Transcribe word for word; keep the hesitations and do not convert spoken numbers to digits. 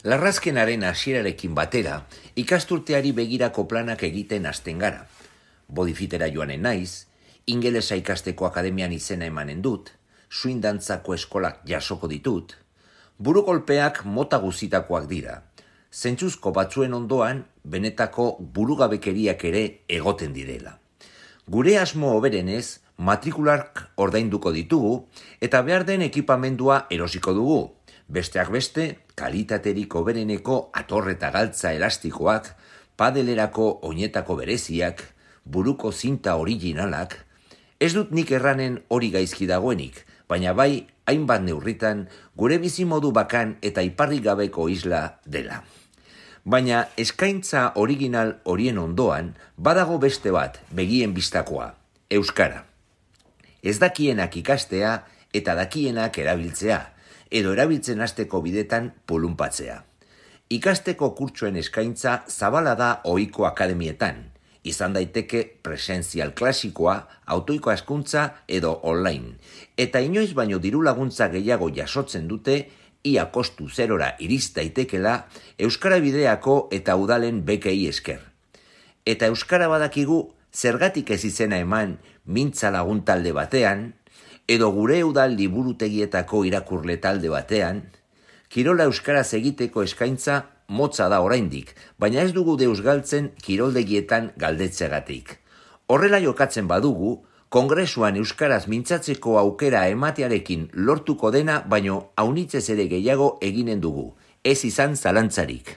Larrazkenaren hasierarekin batera, ikasturteari begirako planak egiten hasten gara. Bodifitera joanen naiz, ingelesa ikasteko akademian izena emanen dut, suindantzako eskolak jasoko ditut, burukolpeak mota guzitakoak dira. Zentzuzko batzuen ondoan, benetako burugabekeriak ere egoten direla. Gure asmo hoberenez, matrikulark ordainduko ditugu eta behar den ekipamendua erosiko dugu. Besteak beste, kalitaterik hobereneko atorreta galtza elastikoak, padelerako oinetako bereziak, buruko zinta originalak. Ez dut nik erranen hori gaizki dagoenik, baina bai hainbat neurritan gure bizimodu bakan eta iparrik gabeko isla dela. Baina eskaintza original horien ondoan badago beste bat begien bistakoa, euskara. Ez dakienak ikastea eta dakienak erabiltzea, edo erabiltzen hasteko bidetan pulunpatzea. Ikasteko kurtsuen eskaintza zabala da ohiko akademietan, izan daiteke presentzial klasikoa, autoiko hezkuntza edo online, eta inoiz baino diru laguntza gehiago jasotzen dute, ia kostu zerora iriz daitekela euskara bideako eta udalen bekei esker. Eta euskara badakigu zergatik ez izena eman mintza lagun talde batean, edo gure udal liburutegietako irakurle talde batean, kirola euskaraz egiteko eskaintza motza da oraindik, baina ez dugu deus galtzen kiroldegietan galdetzeagatik. Horrela jokatzen badugu, kongresuan euskaraz mintzatzeko aukera ematearekin lortuko dena, baino aunitzez ere gehiago eginen dugu, ez izan zalantzarik.